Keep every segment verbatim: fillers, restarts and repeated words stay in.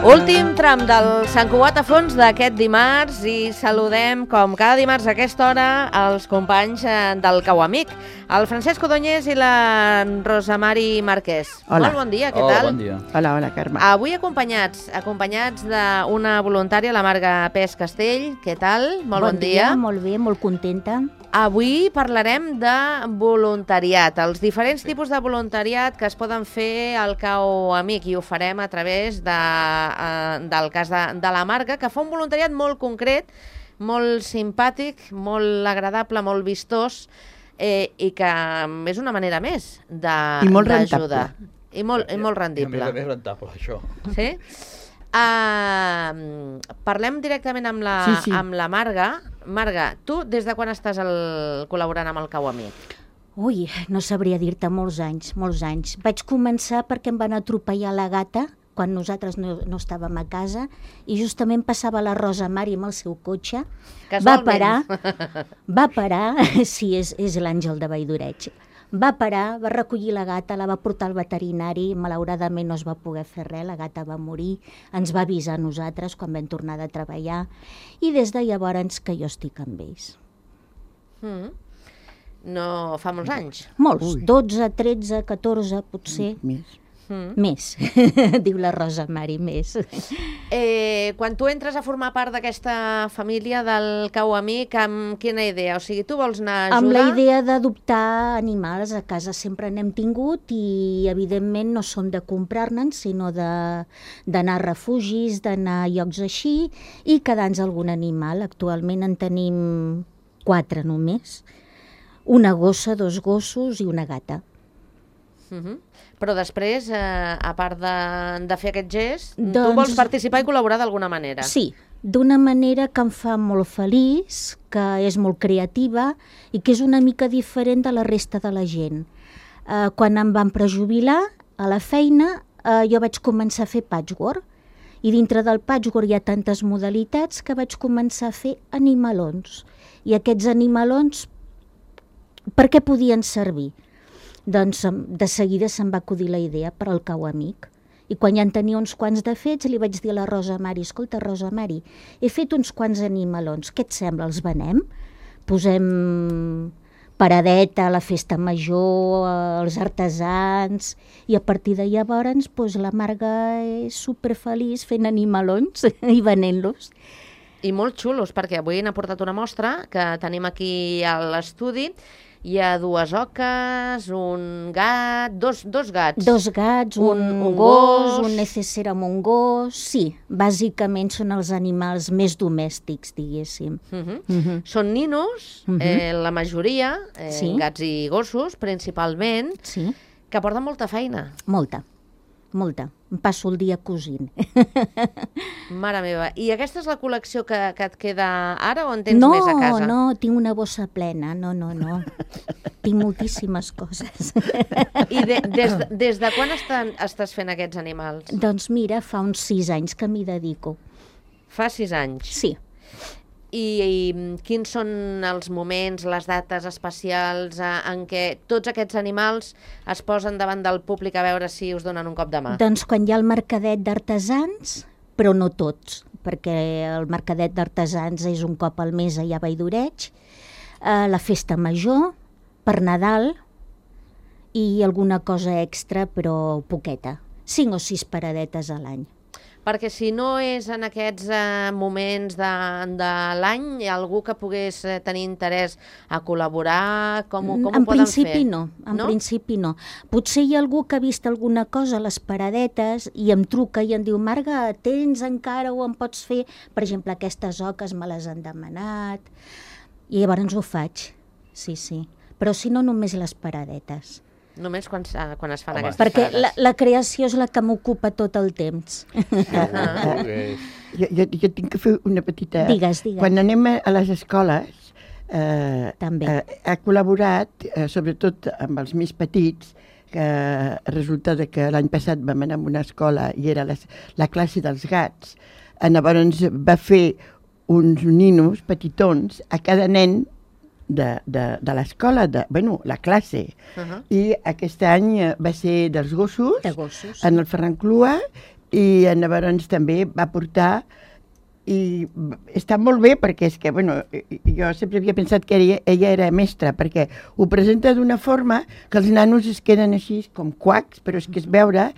Últim tram del Sant Cugat a fons d'aquest dimarts i saludem, com cada dimarts a aquesta hora, els companys del Cau Amic, el Francesc Codonyes i la Rosa Mari Marquès. Hola. Molt bon dia, què Hola, tal? bon dia. Hola, hola, Carme. Avui acompanyats, acompanyats d'una voluntària, la Marga Pes Castell. Què tal? Molt bon, bon dia. Molt bé, molt contenta. Avui parlarem de voluntariat, els diferents tipus de voluntariat que es poden fer al Cau Amic, i ho farem a través de, eh, del cas de, de la Marga, que fa un voluntariat molt concret, molt simpàtic, molt agradable, molt vistós, eh, i que és una manera més d'ajudar. I molt, i molt rendible. I a més és rentable, això. Sí? Uh, parlem directament amb la, sí, sí. amb la Marga. Marga, tu des de quan estàs el, col·laborant amb el Cau Amic? Ui, no sabria dir-te, molts anys, molts anys. Vaig començar perquè em van atropellar la gata quan nosaltres no, no estàvem a casa i justament passava la Rosa Mari amb el seu cotxe. Va parar, va parar, sí, és, és l'Àngel de Valldoreig. Va parar, va recollir la gata, la va portar al veterinari, malauradament no es va poder fer res, la gata va morir, ens va avisar a nosaltres quan vam tornar de treballar i des de llavors que jo estic amb ells. Mm. No fa molts anys? Molts, Ui. dotze, tretze, catorze, potser. Més. Mm. Més, diu la Rosa Mari, més. Eh, quan tu entres a formar part d'aquesta família del Cau Amic, amb quina idea? O sigui, tu vols anar a ajudar? Amb la idea d'adoptar animals, a casa sempre n'hem tingut i evidentment no som de comprar-ne'n, sinó d'anar a refugis, d'anar a llocs així i quedar-nos algun animal. Actualment en tenim quatre només, una gossa, dos gossos i una gata. Uh-huh. Però després, eh, a part de, de fer aquest gest, doncs... tu Doncs- vols participar i col·laborar d'alguna manera? Sí, d'una manera que em fa molt feliç, que és molt creativa i que és una mica diferent de la resta de la gent. Eh, quan em van prejubilar a la feina, eh, jo vaig començar a fer patchwork i dintre del patchwork hi ha tantes modalitats que vaig començar a fer animalons. I aquests animalons, per què podien servir? Doncs de seguida se'm va acudir la idea per al Cau Amic. I quan ja en tenia uns quants de fets, li vaig dir a la Rosa Mari, escolta, Rosa Mari, he fet uns quants animalons, què et sembla, els venem? Posem paradeta a la festa major, els artesans, i a partir de llavors doncs, la Marga és superfeliç fent animalons i venent-los. I molt xulos, perquè avui n'ha portat una mostra que tenim aquí a l'estudi. Hi ha dues oques, un gat, dos, dos gats. Dos gats, un, Un- un, un gos, gos. un necessera amb un gos. Sí, bàsicament són els animals més domèstics, diguéssim. Uh-huh. Uh-huh. Són ninos, Mhm. eh, la majoria, eh, Sí. gats i gossos, principalment, Sí, que porten molta feina. molta, molta. Em passo el dia cosint. Mare meva. I aquesta és la col·lecció que, que et queda ara o en tens no, més a casa? no, tinc una bossa plena, no, no, no. Tinc moltíssimes coses. I de, des, de, des de quan estan, estàs fent aquests animals? Doncs mira, fa uns sis anys que m'hi dedico. Fa sis anys. Sí. I, I quins són els moments, les dates especials eh, en què tots aquests animals es posen davant del públic a veure si us donen un cop de mà? Doncs quan hi ha el mercadet d'artesans, però no tots, perquè el mercadet d'artesans és un cop al mes allà a Valldoreig, eh, la festa major, per Nadal i alguna cosa extra, però poqueta. Cinc o sis paradetes a l'any. Perquè si no és en aquests eh, moments de, de l'any, hi ha algú que pogués eh, tenir interès a col·laborar, com, ho- com en ho poden principi fer? no, en No? principi no. Potser hi ha algú que ha vist alguna cosa a les paradetes i em truca i em diu, Marga, tens encara o em pots fer? Per exemple, aquestes oques me les han demanat. I llavors ho faig, sí, sí. Però si no, només les paradetes. Només quan, s- quan es fan Home. aquestes Perquè parades. la, la creació és la que m'ocupa tot el temps. Molt bé. Jo, jo, jo tinc que fer una petita... Digues, digues. Quan anem a, a les escoles, eh, També. eh, ha col·laborat, eh, sobretot amb els més petits, que resulta de que l'any passat vam anar a una escola i era les, la classe dels gats. Eh, llavors va fer uns ninos petitons a cada nen de, de, de l'escola, de, bueno, la classe. Uh-huh. I aquest any eh, va ser dels gossos, De gossos. en el Ferran Clua, i llavors també va portar, i està molt bé perquè és que, bueno, jo sempre havia pensat que ella, ella era mestra, perquè ho presenta d'una forma que els nanos es queden així com quacs, però és que es veure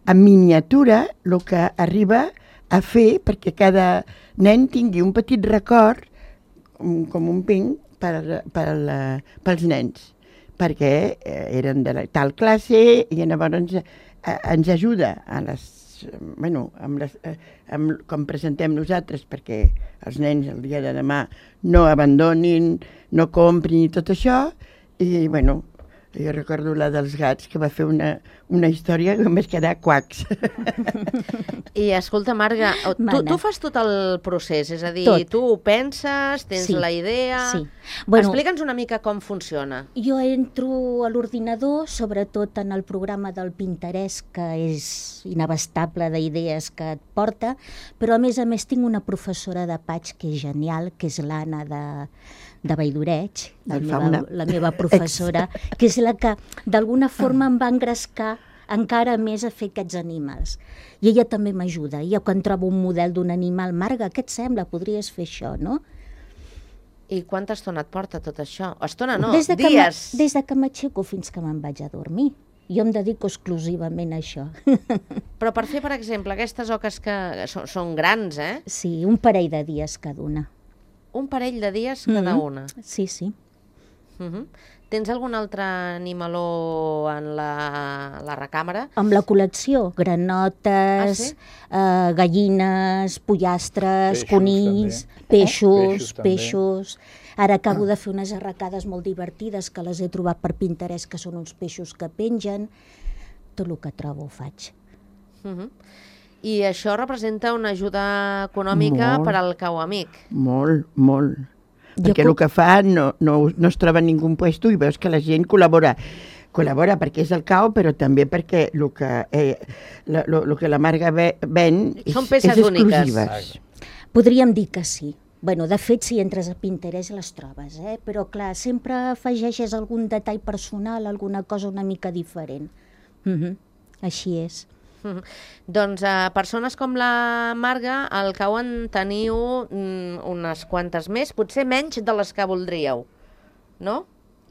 en miniatura el que arriba a fer perquè cada nen tingui un petit record, com un ping, per, per, pels nens, perquè eren de la tal classe i llavors ens ajuda a les bueno, amb les, amb, com presentem nosaltres, perquè els nens el dia de demà no abandonin, no comprin i tot això, i bueno, jo recordo la dels gats, que va fer una, una història que em vaig quedar quacs. I escolta, Marga, tu, tu fas tot el procés, és a dir, tot. Tu ho penses, tens sí. la idea... Sí. Bueno, explica'ns una mica com funciona. Jo entro a l'ordinador, sobretot en el programa del Pinterest, que és inabastable d'idees que et porta, però a més a més tinc una professora de Paig que és genial, que és l'Anna de, de Valldoreig, la meva, la meva professora, que és la que d'alguna forma em va engrescar encara més a fer aquests animals. I ella també m'ajuda. Jo quan trobo un model d'un animal, Marga, què et sembla? Podries fer això, no? I quanta estona et porta tot això? Estona no, des de dies. Que des de que m'aixeco fins que me'n vaig a dormir. Jo em dedico exclusivament a això. Però per fer, per exemple, aquestes oques que són, són grans, eh? Sí, un parell de dies cada una. Un parell de dies cada mm-hmm. una? Sí, sí. Uh-huh. Tens algun altre animaló en la, la recàmera? Amb la col·lecció, granotes, ah, sí? eh, gallines, pollastres, peixos, conills, també. peixos, eh? peixos. Ara acabo de fer unes arracades molt divertides que les he trobat per Pinterest, que són uns peixos que pengen. Tot el que trobo ho faig. Uh-huh. I això representa una ajuda econòmica molt, per al cau amic? Molt, molt. Perquè Jo el que fa no, no, no es troba en ningú puesto i veus que la gent col·labora. Col·labora perquè és el cau, però també perquè el que, eh, lo, lo, lo que la Marga ven és, són peces és exclusives. úniques. Podríem dir que sí. Bueno, de fet, si entres a Pinterest les trobes, eh? Però clar, sempre afegeixes algun detall personal, alguna cosa una mica diferent. Mm-hmm. Així és. Mm-hmm. Doncs a persones com la Marga, al cau en teniu mm, unes quantes més, potser menys de les que voldríeu, no?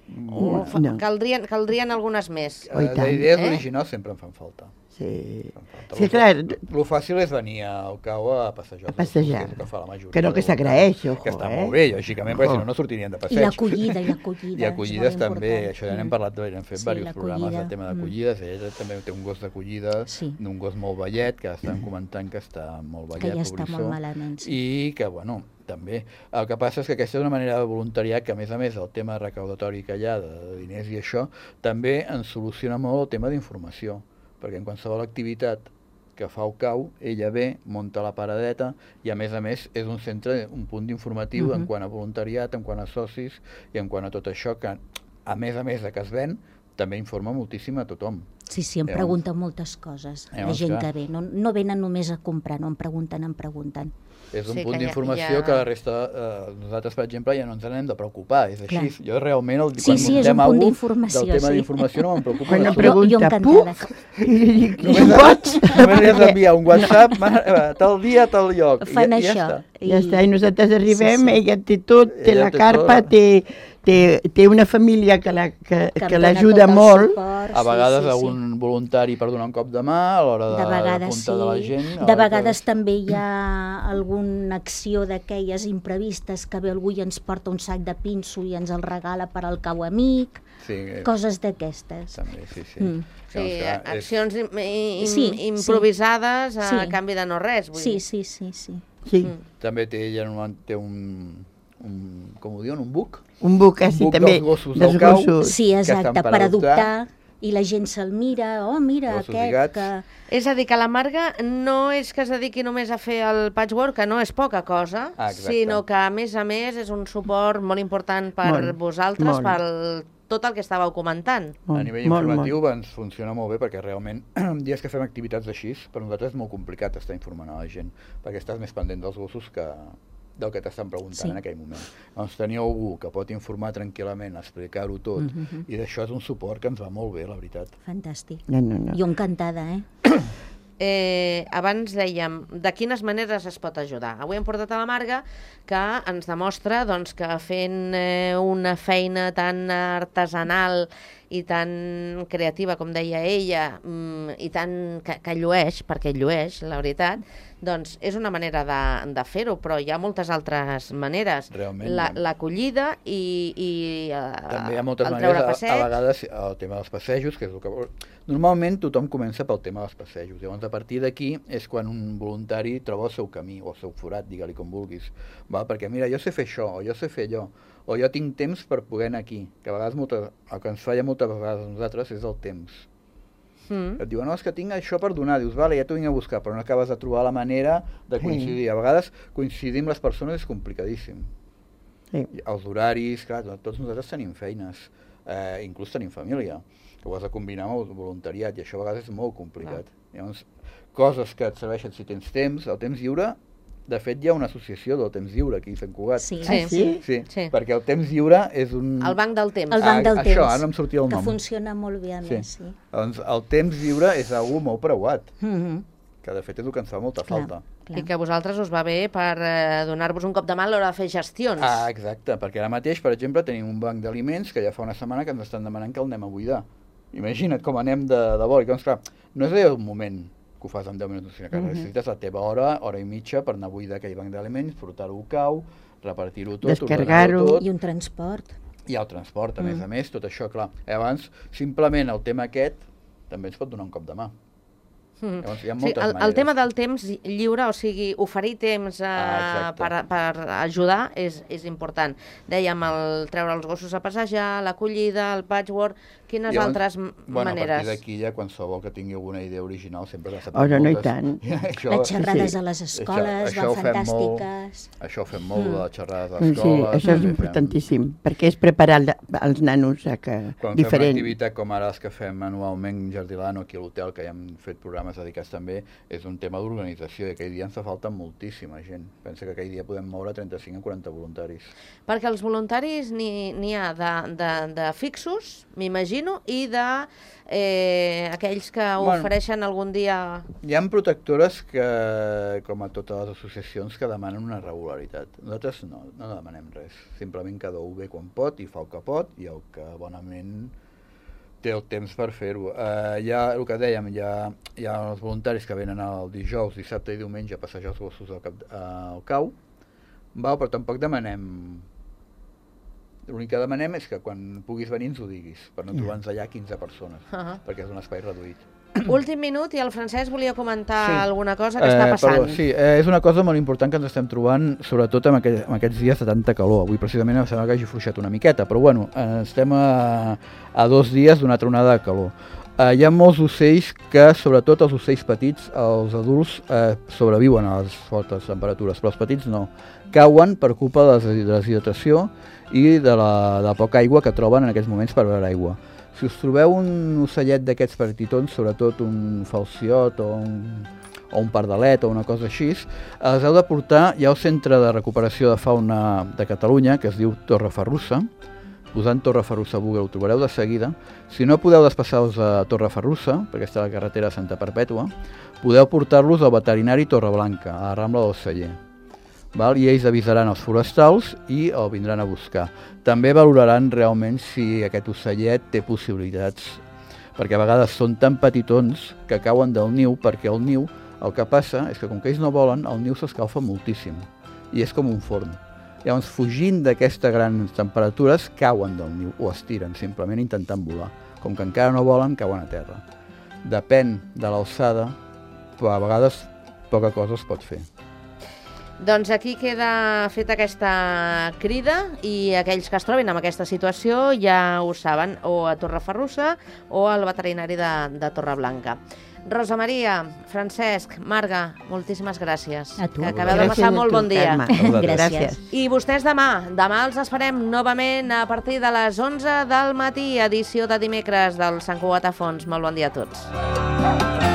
No. O no. Caldrien, caldrien algunes més. Oh, i tant. D'idees Eh? originals sempre em fan falta. Sí, Falta. sí Lo- clar, Lo fàcil és venir al cau a passejar. A passejar. Que és el que fa la majoria. Que no, que s'agraeix, ojo, Que està eh? molt bé, lògicament, perquè Ojo. si no, no sortirien de I passeig. l'acollida, i l'acollida. I acollides és molt també, important. això ja n'hem Mm. parlat, hem fet Sí, diversos programes l'acollida. del tema d'acollides, ella també té un gos d'acollida, Sí. un gos molt vellet, que estan comentant que està molt vellet, Que ja està pobrissó, molt malament, sí. i que, bueno, també. El que passa és que aquesta és una manera de voluntariat que, a més a més, el tema recaudatori que hi ha de diners i això, també ens soluciona molt el tema d'informació, perquè en qualsevol activitat que fa el cau, ella ve, munta la paradeta i, a més a més, és un centre, un punt informatiu Uh-huh. en quant a voluntariat, en quant a socis i en quant a tot això que, a més a més de que es ven, també informa moltíssim a tothom. Sí, sí, em Llavors- pregunten moltes coses, la Llavors, gent clar. que ve. No, no venen només a comprar, no em pregunten, em pregunten. És un Sí, punt que ja- d'informació ja- que la resta, eh, nosaltres, per exemple, ja no ens n'hem de preocupar, és així. Clar. Jo realment, el, Sí, quan sí, és muntem un punt alguna d'informació, del tema sí. d'informació no me'n preocupa. Quan en em absolut. Jo- jo pregunta, encantada. puc? I dic, Només, pots? només li has d'enviar un WhatsApp, ma- eh, tal dia, tal lloc. i Fan ja, això. Ja està. Ja està, i nosaltres arribem, Sí, sí. ella té tot, té Ella la té carpa, tot. té, té, té una família que la- que, Que em que dona l'ajuda tot el molt. suport, A sí, vegades sí, sí. algun voluntari per donar un cop de mà a l'hora De de vegades apuntar sí, de la gent. a de l'hora vegades que- també hi ha alguna acció d'aquelles imprevistes que ve algú i ens porta un sac de pinso i ens el regala per al cau amic, Sí, eh, coses d'aquestes. també, sí, sí. Mm. Sí, Llavors, clar, és- accions im im Sí, improvisades a sí. canvi de no res. Vull Sí, dir. sí, sí, sí. Sí, Mm. També té, ella normalment té un, un, com ho diuen, un buc? un buc, eh, sí, buc també, dels gossos dels del cau. gossos. Sí, exacte, estan per per adoptar. adoptar, i la gent se'l mira, oh, mira, Gossos i aquest gats. que... És a dir, que la Marga no és que es dediqui només a fer el patchwork, que no és poca cosa, Ah, exacte. sinó que, a més a més, és un suport molt important per Molt, vosaltres, molt. per tot el que estàveu comentant. A nivell molt, informatiu molt. ens funciona molt bé perquè realment dies que fem activitats així, per nosaltres és molt complicat estar informant a la gent, perquè estàs més pendent dels gossos que del que t'estan preguntant Sí. en aquell moment. Doncs tenir algú que pot informar tranquil·lament, explicar-ho tot, Mhm. i d'això és un suport que ens va molt bé, la veritat. Fantàstic. No, no, no. Jo encantada, eh? Eh, abans dèiem de quines maneres es pot ajudar. Avui hem portat a la Marga que ens demostra doncs, que fent eh, una feina tan artesanal i tan creativa, com deia ella, mm, i tan que, que llueix, perquè llueix, la veritat, doncs és una manera de, de fer-ho, però hi ha moltes altres maneres. Realment. La, l'acollida i, i eh, també hi ha moltes el treure maneres, passeig. a, a vegades el tema dels passejos, que és el que vol... Normalment tothom comença pel tema dels passejos, llavors a partir d'aquí és quan un voluntari troba el seu camí, o el seu forat, digue-li com vulguis, val? Perquè mira, jo sé fer això, o jo sé fer allò, o jo tinc temps per poder anar aquí, que a vegades molta, el que ens falla moltes vegades a nosaltres és el temps. Mm. Et diuen, no, és que tinc això per donar, dius, vale, ja t'ho vinc a buscar, però no acabes de trobar la manera de coincidir. A vegades coincidir amb les persones és complicadíssim. Sí. Els horaris, clar, tots nosaltres tenim feines, eh, inclús tenim família, que ho has de combinar amb el voluntariat, i això a vegades és molt complicat. Ah. Llavors, coses que et serveixen si tens temps, el temps lliure. De fet, hi ha una associació del temps lliure aquí a Sant Cugat. Sí. Sí. Sí, sí, sí, perquè el temps lliure és un... El banc del temps. El banc del ah, temps. Això, ara no em sortia el nom. Que funciona molt bé, a sí. més. Sí. Doncs el temps lliure és algo molt preuat, Mm-hmm. que de fet és el que ens fa molta Clar, falta. clar. I que a vosaltres us va bé per eh, donar-vos un cop de mà a l'hora de fer gestions. Ah, exacte, perquè ara mateix, per exemple, tenim un banc d'aliments que ja fa una setmana que ens estan demanant que el anem a buidar. Imagina't com anem de, de vol. Doncs, clar, no és allò un moment que ho fas en deu minuts, sinó que mm-hmm. necessites la teva hora, hora i mitja per anar a buidar aquell banc d'aliments, portar-ho al cau, repartir-ho tot, descarregar-ho. tot. I un transport. I el transport, a Mm. més a més, tot això, clar. I abans, simplement el tema aquest també ens pot donar un cop de mà. Mm. Llavors, hi ha Sí, moltes el, el maneres. tema del temps lliure, o sigui, oferir temps eh, Ah, exacte. per, per ajudar és, és important. Dèiem el treure els gossos a passejar, l'acollida, el patchwork, quines Llavors, altres m- bueno, maneres? a partir d'aquí ja qualsevol que tingui alguna idea original sempre n'ha Oh, no, no, i tant. això, Les xerrades sí. a les escoles això ho van fem fantàstiques. Molt, això ho fem molt, mm. les xerrades a Sí, l'escola. això és importantíssim, perquè és preparar el- els nanos a que... Quan fem una diferent. activitat com ara les que fem anualment Jardilano aquí a l'hotel, que ja hem fet programes dedicats també, és un tema d'organització, i aquell dia ens fa falta moltíssima gent. Pensa que aquell dia podem moure trenta-cinc a quaranta voluntaris. Perquè els voluntaris n'hi n'hi ha de, de, de fixos, m'imagino, i de eh, aquells que Bueno. ofereixen algun dia... Hi ha protectores que, com a totes les associacions, que demanen una regularitat. Nosaltres no, no demanem res. Simplement cada un ve quan pot i fa el que pot, i el que bonament té el temps per fer-ho. Uh, hi ha, el que dèiem, hi ha, hi ha els voluntaris que venen el dijous, dissabte i diumenge a passejar els gossos al, cap, al cau, val, però tampoc demanem... L'únic que demanem és que quan puguis venir ens ho diguis, per no trobar-nos allà quinze persones, Uh -huh. perquè és un espai reduït. Últim minut, i el Francesc volia comentar Sí. alguna cosa que està Eh, passant. Perdó, sí, eh, és una cosa molt important que ens estem trobant, sobretot en, aquell, en aquests dies de tanta calor. Avui precisament em sembla que hagi fluixat una miqueta, però bueno, eh, estem a, a dos dies d'una tronada de calor. Eh, hi ha molts ocells que, sobretot els ocells petits, els adults eh, sobreviuen a les fortes temperatures, però els petits no. Cauen per culpa de la deshidratació i de la, de la poca aigua que troben en aquests moments per beure aigua. Si us trobeu un ocellet d'aquests petitons, sobretot un falciot o un, o un pardalet o una cosa així, els heu de portar, hi ha el Centre de Recuperació de Fauna de Catalunya, que es diu Torreferrussa. Posant Torreferrussa a Google ho trobareu de seguida. Si no podeu desplaçar-vos a Torreferrussa, perquè està a la carretera Santa Perpètua, podeu portar-los al veterinari Torreblanca, a la Rambla del Celler. Val? I ells avisaran els forestals i el vindran a buscar. També valoraran realment si aquest ocellet té possibilitats, perquè a vegades són tan petitons que cauen del niu, perquè el niu, el que passa és que com que ells no volen, el niu s'escalfa moltíssim i és com un forn. Llavors, fugint d'aquestes grans temperatures, cauen del niu o es tiren, simplement intentant volar. Com que encara no volen, cauen a terra. Depèn de l'alçada, però a vegades poca cosa es pot fer. Doncs aquí queda feta aquesta crida, i aquells que es trobin en aquesta situació ja ho saben, o a Torreferrussa o al veterinari de, de Torreblanca. Rosa Maria, Francesc, Marga, moltíssimes gràcies. A tu. Que acabeu de passar molt bon dia. Gràcies. I vostès demà, demà els esperem novament a partir de les onze del matí, edició de dimecres del Sant Cugat a Fons. Molt bon dia a tots.